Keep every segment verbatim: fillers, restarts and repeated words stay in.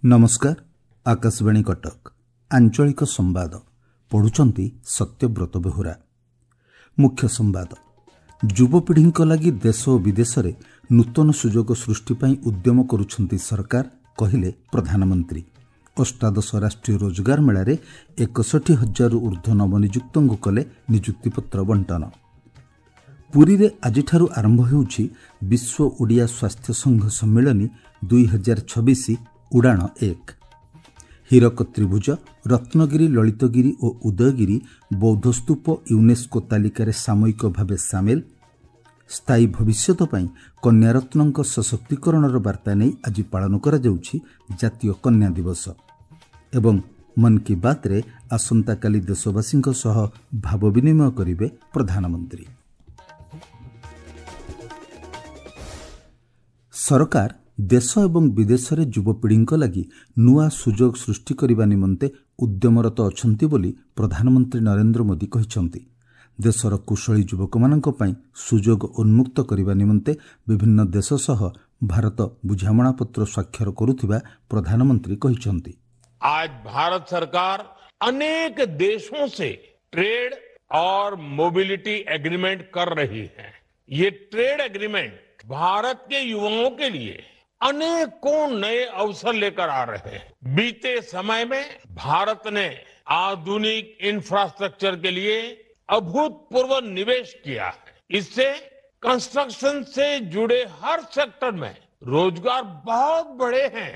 ନମସ୍କାର, ଆକାଶବାଣୀ କଟକ, ଆଞ୍ଚଳିକ ସମ୍ବାଦ ପଢ଼ୁଛନ୍ତି ସତ୍ୟବ୍ରତ ବେହୁରା। ମୁଖ୍ୟ ସମ୍ବାଦ। ଯୁବପିଢ଼ିଙ୍କ ଲାଗି ଦେଶ ଓ ବିଦେଶରେ ନୂତନ ସୁଯୋଗ ସୃଷ୍ଟି ପାଇଁ ଉଦ୍ୟମ କରୁଛନ୍ତି ସରକାର, କହିଲେ ପ୍ରଧାନମନ୍ତ୍ରୀ। ଅଷ୍ଟାଦଶ ରାଷ୍ଟ୍ରୀୟ ରୋଜଗାର ମେଳାରେ ଏକଷଠି ହଜାରରୁ ଉର୍ଦ୍ଧ୍ୱ ନବନିଯୁକ୍ତଙ୍କୁ କଲେ ନିଯୁକ୍ତିପତ୍ର ବଣ୍ଟନ। ପୁରୀରେ ଆଜିଠାରୁ ଆରମ୍ଭ ହେଉଛି ବିଶ୍ୱ ଓଡ଼ିଆ ସ୍ୱାସ୍ଥ୍ୟ ସଂଘ ସମ୍ମିଳନୀ ଦୁଇ ହଜାର ଛବିଶ ଉଡ଼ାଣ ଏକ। ହୀରକ ତ୍ରିଭୁଜ, ରତ୍ନଗିରି, ଲଳିତଗିରି ଓ ଉଦୟଗିରି ବୌଦ୍ଧସ୍ତୂପ ୟୁନେସ୍କୋ ତାଲିକାରେ ସାମୟିକ ଭାବେ ସାମିଲ। ସ୍ଥାୟୀ ଭବିଷ୍ୟତ ପାଇଁ କନ୍ୟାରତ୍ନଙ୍କ ସଶକ୍ତିକରଣର ବାର୍ତ୍ତା ନେଇ ଆଜି ପାଳନ କରାଯାଉଛି ଜାତୀୟ କନ୍ୟା ଦିବସ। ଏବଂ ମନ୍ କି ବାତ୍ରେ ଆସନ୍ତାକାଲି ଦେଶବାସୀଙ୍କ ସହ ଭାବ ବିନିମୟ କରିବେ ପ୍ରଧାନମନ୍ତ୍ରୀ। ସରକାର ଦେଶ ଏବଂ ବିଦେଶରେ ଯୁବପିଢ଼ିଙ୍କ ଲାଗି ନୂଆ ସୁଯୋଗ ସୃଷ୍ଟି କରିବା ନିମନ୍ତେ ଉଦ୍ୟମରତ ଅଛନ୍ତି ବୋଲି ପ୍ରଧାନମନ୍ତ୍ରୀ ନରେନ୍ଦ୍ର ମୋଦି କହିଛନ୍ତି। ଦେଶର କୁଶଳୀ ଯୁବକମାନଙ୍କ ପାଇଁ ସୁଯୋଗ ଉନ୍ମୁକ୍ତ କରିବା ନିମନ୍ତେ ବିଭିନ୍ନ ଦେଶ ସହ ଭାରତ ବୁଝାମଣାପତ୍ର ସ୍ୱାକ୍ଷର କରୁଥିବା ପ୍ରଧାନମନ୍ତ୍ରୀ କହିଛନ୍ତି। आज भारत सरकार अनेक देशों से ट्रेड और मोबिलिटी एग्रीमेंट कर रही है। ये ट्रेड एग्रीमेंट भारत के युवाओं के लिए अनेकों नए अवसर लेकर आ रहे हैं। बीते समय में भारत ने आधुनिक इंफ्रास्ट्रक्चर के लिए अभूतपूर्व निवेश किया है। इससे कंस्ट्रक्शन से जुड़े हर सेक्टर में रोजगार बहुत बढ़े हैं।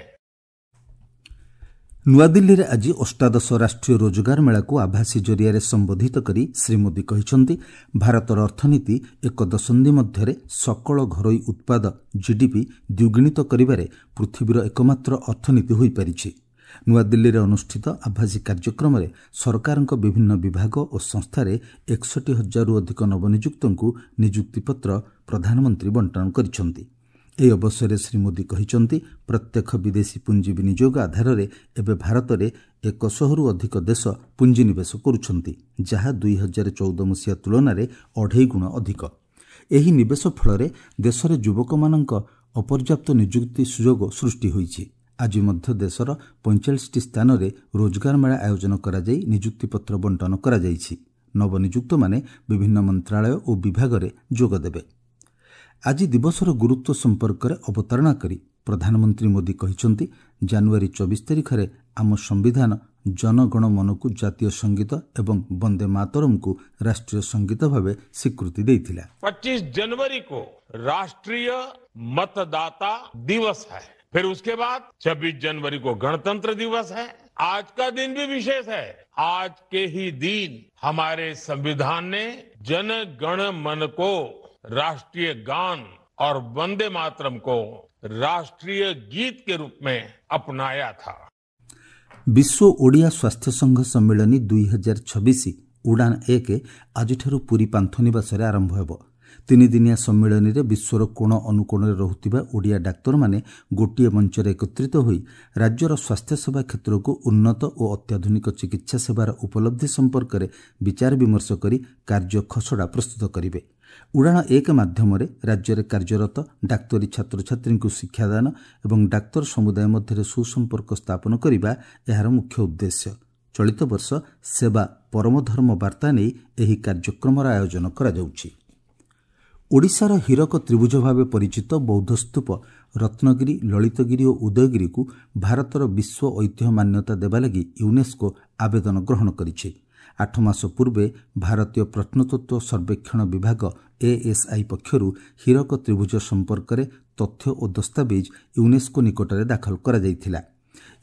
ନୂଆଦିଲ୍ଲୀରେ ଆଜି ଅଷ୍ଟାଦଶ ରାଷ୍ଟ୍ରୀୟ ରୋଜଗାର ମେଳାକୁ ଆଭାସୀ ଜରିଆରେ ସମ୍ବୋଧିତ କରି ଶ୍ରୀ ମୋଦି କହିଛନ୍ତି, ଭାରତର ଅର୍ଥନୀତି ଏକ ଦଶନ୍ଧି ମଧ୍ୟରେ ସକଳ ଘରୋଇ ଉତ୍ପାଦ ଜିଡିପି ଦ୍ୱିଗୁଣିତ କରିବାରେ ପୃଥିବୀର ଏକମାତ୍ର ଅର୍ଥନୀତି ହୋଇପାରିଛି। ନୂଆଦିଲ୍ଲୀରେ ଅନୁଷ୍ଠିତ ଆଭାସୀ କାର୍ଯ୍ୟକ୍ରମରେ ସରକାରଙ୍କ ବିଭିନ୍ନ ବିଭାଗ ଓ ସଂସ୍ଥାରେ ଏକଷଠି ହଜାରରୁ ଅଧିକ ନବନିଯୁକ୍ତଙ୍କୁ ନିଯୁକ୍ତିପତ୍ର ପ୍ରଧାନମନ୍ତ୍ରୀ ବଣ୍ଟନ କରିଛନ୍ତି। ଏହି ଅବସରରେ ଶ୍ରୀ ମୋଦି କହିଛନ୍ତି, ପ୍ରତ୍ୟକ୍ଷ ବିଦେଶୀ ପୁଞ୍ଜି ବିନିଯୋଗ ଆଧାରରେ ଏବେ ଭାରତରେ ଏକଶହରୁ ଅଧିକ ଦେଶ ପୁଞ୍ଜିନିବେଶ କରୁଛନ୍ତି, ଯାହା ଦୁଇ ହଜାର ଚଉଦ ମସିହା ତୁଳନାରେ ଅଢ଼େଇ ଗୁଣ ଅଧିକ। ଏହି ନିବେଶ ଫଳରେ ଦେଶରେ ଯୁବକମାନଙ୍କ ଅପର୍ଯ୍ୟାପ୍ତ ନିଯୁକ୍ତି ସୁଯୋଗ ସୃଷ୍ଟି ହୋଇଛି। ଆଜି ମଧ୍ୟ ଦେଶର ପଇଁଚାଳିଶଟି ସ୍ଥାନରେ ରୋଜଗାର ମେଳା ଆୟୋଜନ କରାଯାଇ ନିଯୁକ୍ତିପତ୍ର ବଣ୍ଟନ କରାଯାଇଛି। ନବନିଯୁକ୍ତମାନେ ବିଭିନ୍ନ ମନ୍ତ୍ରାଳୟ ଓ ବିଭାଗରେ ଯୋଗଦେବେ। ଆଜି ଦିବସର ଗୁରୁତ୍ୱ ସମ୍ପର୍କରେ ଅବତାରଣା କରି ପ୍ରଧାନମନ୍ତ୍ରୀ ମୋଦି କହିଛନ୍ତି, ଜାନୁଆରୀ ଚବିଶ ତାରିଖରେ ଆମ ସମ୍ବିଧାନ ଜନଗଣ ମନକୁ ଜାତୀୟ ସଙ୍ଗୀତ ଏବଂ ବନ୍ଦେ ମାତରମକୁ ରାଷ୍ଟ୍ରୀୟ ସଙ୍ଗୀତ ଭାବେ ସ୍ୱୀକୃତି ଦେଇଥିଲା। पच्चीस जनवरी को राष्ट्रीय मतदाता दिवस है, फिर उसके बाद छब्बीस जनवरी को गणतंत्र दिवस है। आज का दिन भी विशेष है। आज के ही दिन हमारे संविधान ने जन गण मन को राष्ट्रीय गान और वंदे मातरम को राष्ट्रीय गीत के रूप में अपनाया था। ବିଶ୍ୱ ଓଡ଼ିଆ ସ୍ୱାସ୍ଥ୍ୟ ସଂଘ ସମ୍ମିଳନୀ ଦୁଇ ହଜାର ଛବିଶ ଉଡ଼ାଣ ଏକ ଆଜିଠାରୁ ପୁରୀ ପାନ୍ଥନିବାସରେ ଆରମ୍ଭ ହେବ। ତିନିଦିନିଆ ସମ୍ମିଳନୀରେ ବିଶ୍ୱର କୋଣ ଅନୁକୋଣରେ ରହୁଥିବା ଓଡ଼ିଆ ଡାକ୍ତରମାନେ ଗୋଟିଏ ମଞ୍ଚରେ ଏକତ୍ରିତ ହୋଇ ରାଜ୍ୟର ସ୍ୱାସ୍ଥ୍ୟସେବା କ୍ଷେତ୍ରକୁ ଉନ୍ନତ ଓ ଅତ୍ୟାଧୁନିକ ଚିକିତ୍ସା ସେବାର ଉପଲବ୍ଧି ସମ୍ପର୍କରେ ବିଚାର ବିମର୍ଶ କରି କାର୍ଯ୍ୟ ଖସଡ଼ା ପ୍ରସ୍ତୁତ କରିବେ। ଉଡ଼ାଣ ଏକ ମାଧ୍ୟମରେ ରାଜ୍ୟରେ କାର୍ଯ୍ୟରତ ଡାକ୍ତରୀ ଛାତ୍ରଛାତ୍ରୀଙ୍କୁ ଶିକ୍ଷାଦାନ ଏବଂ ଡାକ୍ତର ସମୁଦାୟ ମଧ୍ୟରେ ସୁସମ୍ପର୍କ ସ୍ଥାପନ କରିବା ଏହାର ମୁଖ୍ୟ ଉଦ୍ଦେଶ୍ୟ। ଚଳିତ ବର୍ଷ ସେବା ପରମଧର୍ମ ବାର୍ତ୍ତା ନେଇ ଏହି କାର୍ଯ୍ୟକ୍ରମର ଆୟୋଜନ କରାଯାଉଛି। ଓଡ଼ିଶାର ହୀରକ ତ୍ରିଭୁଜ ଭାବେ ପରିଚିତ ବୌଦ୍ଧସ୍ତୂପ ରତ୍ନଗିରି, ଲଳିତଗିରି ଓ ଉଦୟଗିରିକୁ ଭାରତର ବିଶ୍ୱ ଐତିହ୍ୟ ମାନ୍ୟତା ଦେବା ଲାଗି ୟୁନେସ୍କୋ ଆବେଦନ ଗ୍ରହଣ କରିଛି। ଆଠ ମାସ ପୂର୍ବେ ଭାରତୀୟ ପ୍ରତ୍ନତତ୍ତ୍ୱ ସର୍ବେକ୍ଷଣ ବିଭାଗ ଏଏସ୍ଆଇ ପକ୍ଷରୁ ହୀରକ ତ୍ରିଭୁଜ ସମ୍ପର୍କରେ ତଥ୍ୟ ଓ ଦସ୍ତାବିଜ୍ ୟୁନେସ୍କୋ ନିକଟରେ ଦାଖଲ କରାଯାଇଥିଲା।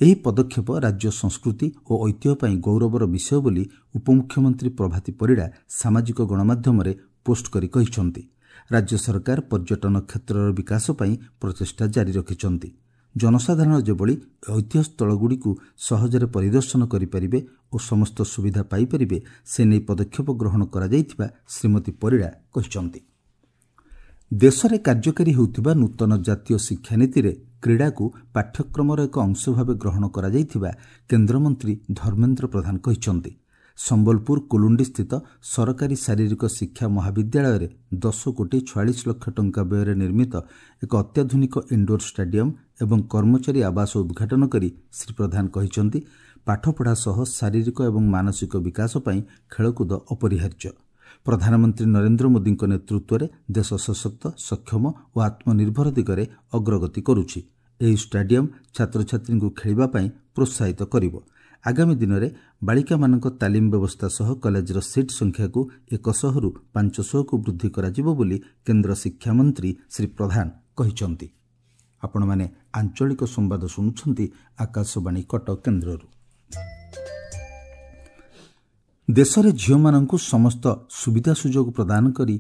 ଏହି ପଦକ୍ଷେପ ରାଜ୍ୟ ସଂସ୍କୃତି ଓ ଐତିହ୍ୟ ପାଇଁ ଗୌରବର ବିଷୟ ବୋଲି ଉପମୁଖ୍ୟମନ୍ତ୍ରୀ ପ୍ରଭାତୀ ପରିଡ଼ା ସାମାଜିକ ଗଣମାଧ୍ୟମରେ ପୋଷ୍ଟ କରି କହିଛନ୍ତି। ରାଜ୍ୟ ସରକାର ପର୍ଯ୍ୟଟନ କ୍ଷେତ୍ରର ବିକାଶ ପାଇଁ ପ୍ରଚେଷ୍ଟା ଜାରି ରଖିଛନ୍ତି। ଜନସାଧାରଣ ଯେଭଳି ଐତିହ୍ୟସ୍ଥଳଗୁଡ଼ିକୁ ସହଜରେ ପରିଦର୍ଶନ କରିପାରିବେ ଓ ସମସ୍ତ ସୁବିଧା ପାଇପାରିବେ ସେ ନେଇ ପଦକ୍ଷେପ ଗ୍ରହଣ କରାଯାଇଥିବା ଶ୍ରୀମତୀ ପରିଡ଼ା କହିଛନ୍ତି। ଦେଶରେ କାର୍ଯ୍ୟକାରୀ ହେଉଥିବା ନୂତନ ଜାତୀୟ ଶିକ୍ଷାନୀତିରେ କ୍ରୀଡ଼ାକୁ ପାଠ୍ୟକ୍ରମର ଏକ ଅଂଶ ଭାବେ ଗ୍ରହଣ କରାଯାଇଥିବା କେନ୍ଦ୍ରମନ୍ତ୍ରୀ ଧର୍ମେନ୍ଦ୍ର ପ୍ରଧାନ କହିଛନ୍ତି। ସମ୍ବଲପୁର କୁଲୁଣ୍ଡିସ୍ଥିତ ସରକାରୀ ଶାରୀରିକ ଶିକ୍ଷା ମହାବିଦ୍ୟାଳୟରେ ଦଶ କୋଟି ଛୟାଳିଶ ଲକ୍ଷ ଟଙ୍କା ବ୍ୟୟରେ ନିର୍ମିତ ଏକ ଅତ୍ୟାଧୁନିକ ଇନ୍ଡୋର ଷ୍ଟାଡିୟମ୍ ଏବଂ କର୍ମଚାରୀ ଆବାସ ଉଦ୍ଘାଟନ କରି ଶ୍ରୀ ପ୍ରଧାନ କହିଛନ୍ତି, ପାଠପଢ଼ା ସହ ଶାରୀରିକ ଏବଂ ମାନସିକ ବିକାଶ ପାଇଁ ଖେଳକୁଦ ଅପରିହାର୍ଯ୍ୟ। ପ୍ରଧାନମନ୍ତ୍ରୀ ନରେନ୍ଦ୍ର ମୋଦିଙ୍କ ନେତୃତ୍ୱରେ ଦେଶ ସଶକ୍ତ, ସକ୍ଷମ ଓ ଆତ୍ମନିର୍ଭର ଦିଗରେ ଅଗ୍ରଗତି କରୁଛି। ଏହି ଷ୍ଟାଡିୟମ୍ ଛାତ୍ରଛାତ୍ରୀଙ୍କୁ ଖେଳିବା ପାଇଁ ପ୍ରୋତ୍ସାହିତ କରିବ। ଆଗାମୀ ଦିନରେ ବାଳିକାମାନଙ୍କ ତାଲିମ ବ୍ୟବସ୍ଥା ସହ କଲେଜର ସିଟ୍ ସଂଖ୍ୟାକୁ ଏକଶହରୁ ପାଞ୍ଚଶହକୁ ବୃଦ୍ଧି କରାଯିବ ବୋଲି କେନ୍ଦ୍ର ଶିକ୍ଷାମନ୍ତ୍ରୀ ଶ୍ରୀ ପ୍ରଧାନ କହିଛନ୍ତି। ଆପଣମାନେ ଆଞ୍ଚଳିକ ସମ୍ବାଦ ଶୁଣୁଛନ୍ତି ଆକାଶବାଣୀ କଟକ କେନ୍ଦ୍ରରୁ। ଦେଶରେ ଝିଅମାନଙ୍କୁ ସମସ୍ତ ସୁବିଧା ସୁଯୋଗ ପ୍ରଦାନ କରି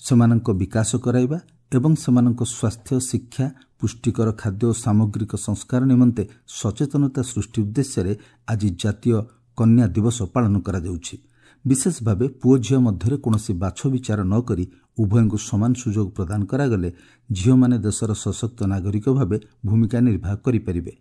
ସେମାନଙ୍କ ବିକାଶ କରାଇବା ଏବଂ ସେମାନଙ୍କ ସ୍ୱାସ୍ଥ୍ୟ, ଶିକ୍ଷା, ପୁଷ୍ଟିକର ଖାଦ୍ୟ ଓ ସାମଗ୍ରିକ ସଂସ୍କାର ନିମନ୍ତେ ସଚେତନତା ସୃଷ୍ଟି ଉଦ୍ଦେଶ୍ୟରେ ଆଜି ଜାତୀୟ କନ୍ୟା ଦିବସ ପାଳନ କରାଯାଉଛି। ବିଶେଷ ଭାବେ ପୁଅ ଝିଅ ମଧ୍ୟରେ କୌଣସି ବାଛବିଚାର ନ କରି ଉଭୟଙ୍କୁ ସମାନ ସୁଯୋଗ ପ୍ରଦାନ କରାଗଲେ ଝିଅମାନେ ଦେଶର ସଶକ୍ତ ନାଗରିକ ଭାବେ ଭୂମିକା ନିର୍ବାହ କରିପାରିବେ।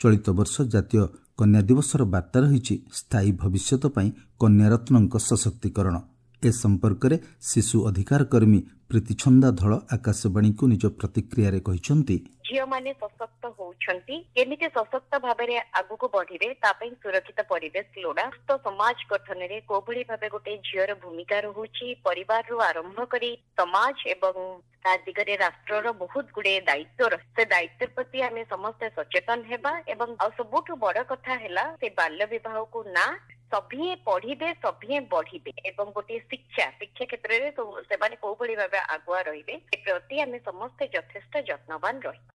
ଚଳିତ ବର୍ଷ ଜାତୀୟ କନ୍ୟା ଦିବସର ବାର୍ତ୍ତା ରହିଛି ସ୍ଥାୟୀ ଭବିଷ୍ୟତ ପାଇଁ କନ୍ୟାରତ୍ନଙ୍କ ସଶକ୍ତିକରଣ। ଏ ସମ୍ପର୍କରେ ଶିଶୁ ଅଧିକାର କର୍ମୀ ପ୍ରୀତିଛନ୍ଦା ଧଳ ଆକାଶବାଣୀକୁ ନିଜ ପ୍ରତିକ୍ରିୟାରେ କହିଛନ୍ତି, ଝିଅମାନେ ସଶକ୍ତ ହଉଛନ୍ତି, କେମିତି ସଶକ୍ତ ଭାବରେ ଆଗକୁ ବଢିବେ ତା ପାଇଁ ସୁରକ୍ଷିତ ପରିବେଶ ଲୋଡା। ସୁସ୍ଥ ସମାଜ ଗଠନରେ କୋଉଭଳି ଭାବେ ଗୋଟେ ଝିଅର ଭୂମିକା ରହୁଛି, ପରିବାରରୁ ଆରମ୍ଭ କରି ସମାଜ ଏବଂ ତା ଦିଗରେ ରାଷ୍ଟ୍ରର ବହୁତ ଗୁଡେ ଦାୟିତ୍ୱ ରହେ। ସେ ଦାୟିତ୍ୱ ପ୍ରତି ଆମେ ସମସ୍ତେ ସଚେତନ ହେବା ଏବଂ ଆଉ ସବୁଠୁ ବଡ କଥା ହେଲା ସେ ବାଲ୍ୟ ବିବାହକୁ ନା, ସଭିଏଁ ପଢିବେ, ସଭିଏଁ ବଢିବେ ଏବଂ ଗୋଟିଏ ଶିକ୍ଷା ଶିକ୍ଷା କ୍ଷେତ୍ରରେ ସେମାନେ କୋଉଭଳି ଭାବେ ଆଗୁଆ ରହିବେ ସେ ପ୍ରତି ଆମେ ସମସ୍ତେ ଯଥେଷ୍ଟ ଯତ୍ନବାନ ରହିବା।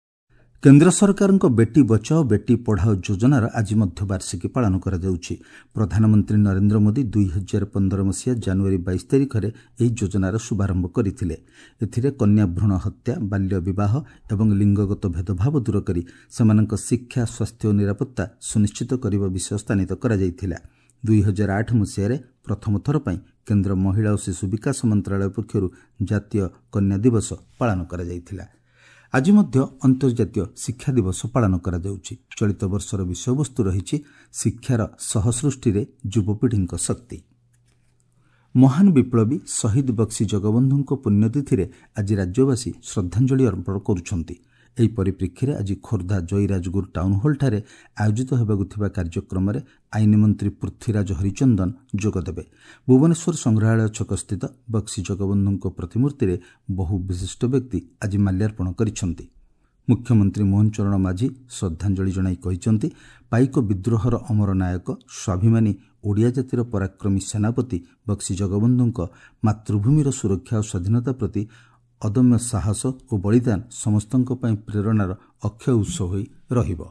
କେନ୍ଦ୍ର ସରକାରଙ୍କ ବେଟି ବଚାଓ ବେଟି ପଢ଼ାଓ ଯୋଜନାର ଆଜି ମଧ୍ୟ ବାର୍ଷିକୀ ପାଳନ କରାଯାଉଛି। ପ୍ରଧାନମନ୍ତ୍ରୀ ନରେନ୍ଦ୍ର ମୋଦି ଦୁଇ ହଜାର ପନ୍ଦର ମସିହା ଜାନୁଆରୀ ବାଇଶ ତାରିଖରେ ଏହି ଯୋଜନାର ଶୁଭାରମ୍ଭ କରିଥିଲେ। ଏଥିରେ କନ୍ୟା ଭ୍ରୂଣ ହତ୍ୟା, ବାଲ୍ୟ ବିବାହ ଏବଂ ଲିଙ୍ଗଗତ ଭେଦଭାବ ଦୂର କରି ସେମାନଙ୍କ ଶିକ୍ଷା, ସ୍ୱାସ୍ଥ୍ୟ ଓ ନିରାପତ୍ତା ସୁନିଶ୍ଚିତ କରିବା ବିଷୟ ସ୍ଥାନିତ କରାଯାଇଥିଲା। ଦୁଇ ହଜାର ଆଠ ମସିହାରେ ପ୍ରଥମ ଥର ପାଇଁ କେନ୍ଦ୍ର ମହିଳା ଓ ଶିଶୁ ବିକାଶ ମନ୍ତ୍ରାଳୟ ପକ୍ଷରୁ ଜାତୀୟ କନ୍ୟା ଦିବସ ପାଳନ କରାଯାଇଥିଲା। ଆଜି ମଧ୍ୟ ଅନ୍ତର୍ଜାତୀୟ ଶିକ୍ଷା ଦିବସ ପାଳନ କରାଯାଉଛି। ଚଳିତ ବର୍ଷର ବିଷୟବସ୍ତୁ ରହିଛି ଶିକ୍ଷାର ସହସୃଷ୍ଟିରେ ଯୁବପିଢ଼ିଙ୍କ ଶକ୍ତି। ମହାନ ବିପ୍ଳବୀ ଶହୀଦ ବକ୍ସି ଜଗବନ୍ଧୁଙ୍କ ପୁଣ୍ୟତିଥିରେ ଆଜି ରାଜ୍ୟବାସୀ ଶ୍ରଦ୍ଧାଞ୍ଜଳି ଅର୍ପଣ କରୁଛନ୍ତି। ଏହି ପରିପ୍ରେକ୍ଷୀରେ ଆଜି ଖୋର୍ଦ୍ଧା ଜୟୀରାଜଗୁରୁ ଟାଉନହଲ୍ଠାରେ ଆୟୋଜିତ ହେବାକୁ ଥିବା କାର୍ଯ୍ୟକ୍ରମରେ ଆଇନ ମନ୍ତ୍ରୀ ପୃଥ୍ୱୀରାଜ ହରିଚନ୍ଦନ ଯୋଗଦେବେ। ଭୁବନେଶ୍ୱର ସଂଗ୍ରହାଳୟ ଛକସ୍ଥିତ ବକ୍ସି ଜଗବନ୍ଧୁଙ୍କ ପ୍ରତିମୂର୍ତ୍ତିରେ ବହୁ ବିଶିଷ୍ଟ ବ୍ୟକ୍ତି ଆଜି ମାଲ୍ୟାର୍ପଣ କରିଛନ୍ତି। ମୁଖ୍ୟମନ୍ତ୍ରୀ ମୋହନ ଚରଣ ମାଝୀ ଶ୍ରଦ୍ଧାଞ୍ଜଳି ଜଣାଇ କହିଛନ୍ତି, ପାଇକ ବିଦ୍ରୋହର ଅମର ନାୟକ, ସ୍ୱାଭିମାନୀ ଓଡ଼ିଆ ଜାତିର ପରାକ୍ରମୀ ସେନାପତି ବକ୍ସି ଜଗବନ୍ଧୁଙ୍କ ମାତୃଭୂମିର ସୁରକ୍ଷା ଓ ସ୍ୱାଧୀନତା ପ୍ରତି ଅଦମ୍ୟ ସାହସ ଓ ବଳିଦାନ ସମସ୍ତଙ୍କ ପାଇଁ ପ୍ରେରଣାର ଅକ୍ଷୟ ଉତ୍ସ ହୋଇ ରହିବ।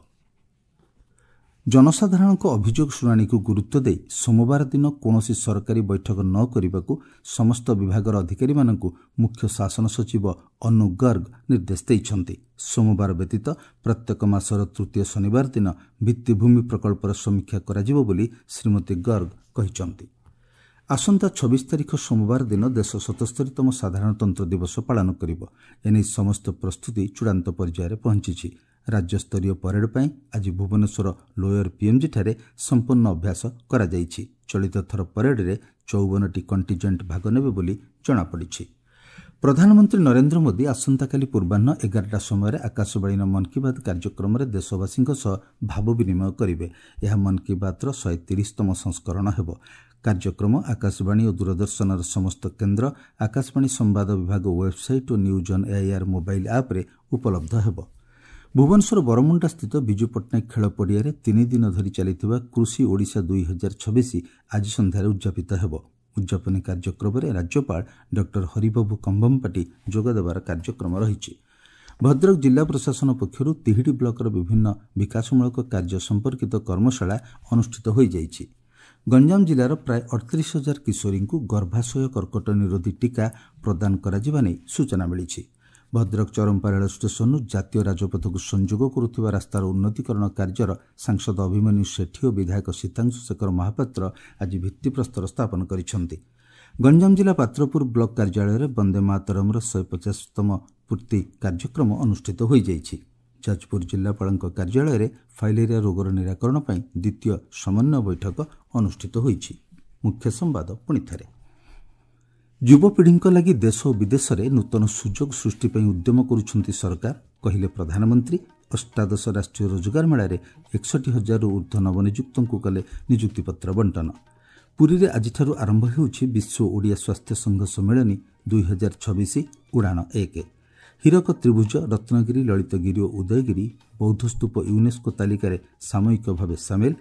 ଜନସାଧାରଣଙ୍କ ଅଭିଯୋଗ ଶୁଣାଣିକୁ ଗୁରୁତ୍ୱ ଦେଇ ସୋମବାର ଦିନ କୌଣସି ସରକାରୀ ବୈଠକ ନ କରିବାକୁ ସମସ୍ତ ବିଭାଗର ଅଧିକାରୀମାନଙ୍କୁ ମୁଖ୍ୟ ଶାସନ ସଚିବ ଅନୁ ଗର୍ଗ ନିର୍ଦ୍ଦେଶ ଦେଇଛନ୍ତି। ସୋମବାର ବ୍ୟତୀତ ପ୍ରତ୍ୟେକ ମାସର ତୃତୀୟ ଶନିବାର ଦିନ ଭିତ୍ତିଭୂମି ପ୍ରକଳ୍ପର ସମୀକ୍ଷା କରାଯିବ ବୋଲି ଶ୍ରୀମତୀ ଗର୍ଗ କହିଛନ୍ତି। ଆସନ୍ତା ଛବିଶ ତାରିଖ ସୋମବାର ଦିନ ଦେଶ ସତସ୍ତରୀତମ ସାଧାରଣତନ୍ତ୍ର ଦିବସ ପାଳନ କରିବ। ଏନେଇ ସମସ୍ତ ପ୍ରସ୍ତୁତି ଚୂଡ଼ାନ୍ତ ପର୍ଯ୍ୟାୟରେ ପହଞ୍ଚିଛି। ରାଜ୍ୟସ୍ତରୀୟ ପରେଡ୍ ପାଇଁ ଆଜି ଭୁବନେଶ୍ୱର ଲୋୟର ପିଏମ୍ଜିଠାରେ ସମ୍ପୂର୍ଣ୍ଣ ଅଭ୍ୟାସ କରାଯାଇଛି। ଚଳିତ ଥର ପରେଡ୍ରେ ଚଉବନଟି କଣ୍ଟିଜେଣ୍ଟ ଭାଗ ନେବେ ବୋଲି ଜଣାପଡ଼ିଛି। ପ୍ରଧାନମନ୍ତ୍ରୀ ନରେନ୍ଦ୍ର ମୋଦି ଆସନ୍ତାକାଲି ପୂର୍ବାହ୍ନ ଏଗାରଟା ସମୟରେ ଆକାଶବାଣୀର ମନ୍ କି ବାତ୍ କାର୍ଯ୍ୟକ୍ରମରେ ଦେଶବାସୀଙ୍କ ସହ ଭାବ ବିନିମୟ କରିବେ। ଏହା ମନ୍ କି ବାତ୍ର ଶହେ ତିରିଶତମ ସଂସ୍କରଣ ହେବ। କାର୍ଯ୍ୟକ୍ରମ ଆକାଶବାଣୀ ଓ ଦୂରଦର୍ଶନର ସମସ୍ତ କେନ୍ଦ୍ର, ଆକାଶବାଣୀ ସମ୍ବାଦ ବିଭାଗ website O news on AIR mobile ଆପ୍ରେ ଉପଲବ୍ଧ ହେବ। ଭୁବନେଶ୍ୱର ବରମୁଣ୍ଡା ସ୍ଥିତ ବିଜୁ ପଟ୍ଟନାୟକ ଖେଳ ପଡ଼ିଆରେ ତିନି ଦିନ ଧରି ଚାଲିଥିବା କୃଷି ଓଡ଼ିଶା ଦୁଇ ହଜାର ଛବିଶ ଆଜି ସନ୍ଧ୍ୟାରେ ଉଦ୍ଯାପିତ ହେବ। ଉଦ୍ଯାପନୀ କାର୍ଯ୍ୟକ୍ରମରେ ରାଜ୍ୟପାଳ ଡକ୍ଟର ହରିବାବୁ କମ୍ଭମପାଟି ଯୋଗଦେବାର କାର୍ଯ୍ୟକ୍ରମ ରହିଛି। ଭଦ୍ରକ ଜିଲ୍ଲା ପ୍ରଶାସନ ପକ୍ଷରୁ ତିହିଡ଼ି ବ୍ଲକର ବିଭିନ୍ନ ବିକାଶମୂଳକ କାର୍ଯ୍ୟ ସମ୍ପର୍କିତ କର୍ମଶାଳା ଅନୁଷ୍ଠିତ ହୋଇଯାଇଛି। ଗଞ୍ଜାମ ଜିଲ୍ଲାର ପ୍ରାୟ ଅଠତିରିଶ ହଜାର କିଶୋରୀଙ୍କୁ ଗର୍ଭାଶୟ କର୍କଟ ନିରୋଧୀ ଟିକା ପ୍ରଦାନ କରାଯିବା ନେଇ ସୂଚନା ମିଳିଛି। ଭଦ୍ରକ ଚରମ୍ପା ରେଳ ଷ୍ଟେସନରୁ ଜାତୀୟ ରାଜପଥକୁ ସଂଯୋଗ କରୁଥିବା ରାସ୍ତାର ଉନ୍ନତିକରଣ କାର୍ଯ୍ୟର ସାଂସଦ ଅଭିମନ୍ୟୁ ସେଠୀ ଓ ବିଧାୟକ ସୀତାଂଶୁ ଶେଖର ମହାପାତ୍ର ଆଜି ଭିତ୍ତିପ୍ରସ୍ତର ସ୍ଥାପନ କରିଛନ୍ତି। ଗଞ୍ଜାମ ଜିଲ୍ଲା ପାତ୍ରପୁର ବ୍ଲକ କାର୍ଯ୍ୟାଳୟରେ ବନ୍ଦେ ମାତରମ୍ର ଶହେ ପଚାଶତମ ପୂର୍ତ୍ତି କାର୍ଯ୍ୟକ୍ରମ ଅନୁଷ୍ଠିତ ହୋଇଯାଇଛି। ଯାଜପୁର ଜିଲ୍ଲାପାଳଙ୍କ କାର୍ଯ୍ୟାଳୟରେ ଫାଇଲେରିଆ ରୋଗର ନିରାକରଣ ପାଇଁ ଦ୍ୱିତୀୟ ସମନ୍ୱୟ ବୈଠକ ଅନୁଷ୍ଠିତ ହୋଇଛି। ମୁଖ୍ୟ ସମ୍ବାଦ ପୁଣି ଥରେ। ଯୁବପିଢ଼ିଙ୍କ ଲାଗି ଦେଶ ଓ ବିଦେଶରେ ନୂତନ ସୁଯୋଗ ସୃଷ୍ଟି ପାଇଁ ଉଦ୍ୟମ କରୁଛନ୍ତି ସରକାର, କହିଲେ ପ୍ରଧାନମନ୍ତ୍ରୀ। ଅଷ୍ଟାଦଶ ରାଷ୍ଟ୍ରୀୟ ରୋଜଗାର ମେଳାରେ ଏକଷଠି ହଜାରରୁ ଉର୍ଦ୍ଧ୍ୱ ନବନିଯୁକ୍ତଙ୍କୁ କଲେ ନିଯୁକ୍ତିପତ୍ର ବଣ୍ଟନ। ପୁରୀରେ ଆଜିଠାରୁ ଆରମ୍ଭ ହେଉଛି ବିଶ୍ୱ ଓଡ଼ିଆ ସ୍ୱାସ୍ଥ୍ୟ ସଂଘ ସମ୍ମିଳନୀ ଦୁଇ ହଜାର ଛବିଶ ଉଡ଼ାଣ ଏକ। ହୀରକ ତ୍ରିଭୁଜ, ରତ୍ନଗିରି, ଲଳିତଗିରି ଓ ଉଦୟଗିରି ବୌଦ୍ଧସ୍ତୂପ ୟୁନେସ୍କୋ ତାଲିକାରେ ସାମୟିକ ଭାବେ ସାମିଲ।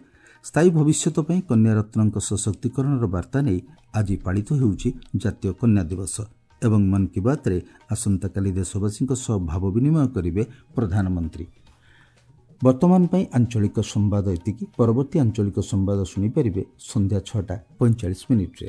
ସ୍ଥାୟୀ ଭବିଷ୍ୟତ ପାଇଁ କନ୍ୟାରତ୍ନଙ୍କ ସଶକ୍ତିକରଣର ବାର୍ତ୍ତା ନେଇ ଆଜି ପାଳିତ ହେଉଛି ଜାତୀୟ କନ୍ୟା ଦିବସ। ଏବଂ ମନ୍ କି ବାତ୍ରେ ଆସନ୍ତାକାଲି ଦେଶବାସୀଙ୍କ ସହ ଭାବ ବିନିମୟ କରିବେ ପ୍ରଧାନମନ୍ତ୍ରୀ। ବର୍ତ୍ତମାନ ପାଇଁ ଆଞ୍ଚଳିକ ସମ୍ବାଦ ଏତିକି। ପରବର୍ତ୍ତୀ ଆଞ୍ଚଳିକ ସମ୍ବାଦ ଶୁଣିପାରିବେ ସନ୍ଧ୍ୟା ଛଅଟା ପଇଁଚାଳିଶ ମିନିଟ୍ରେ।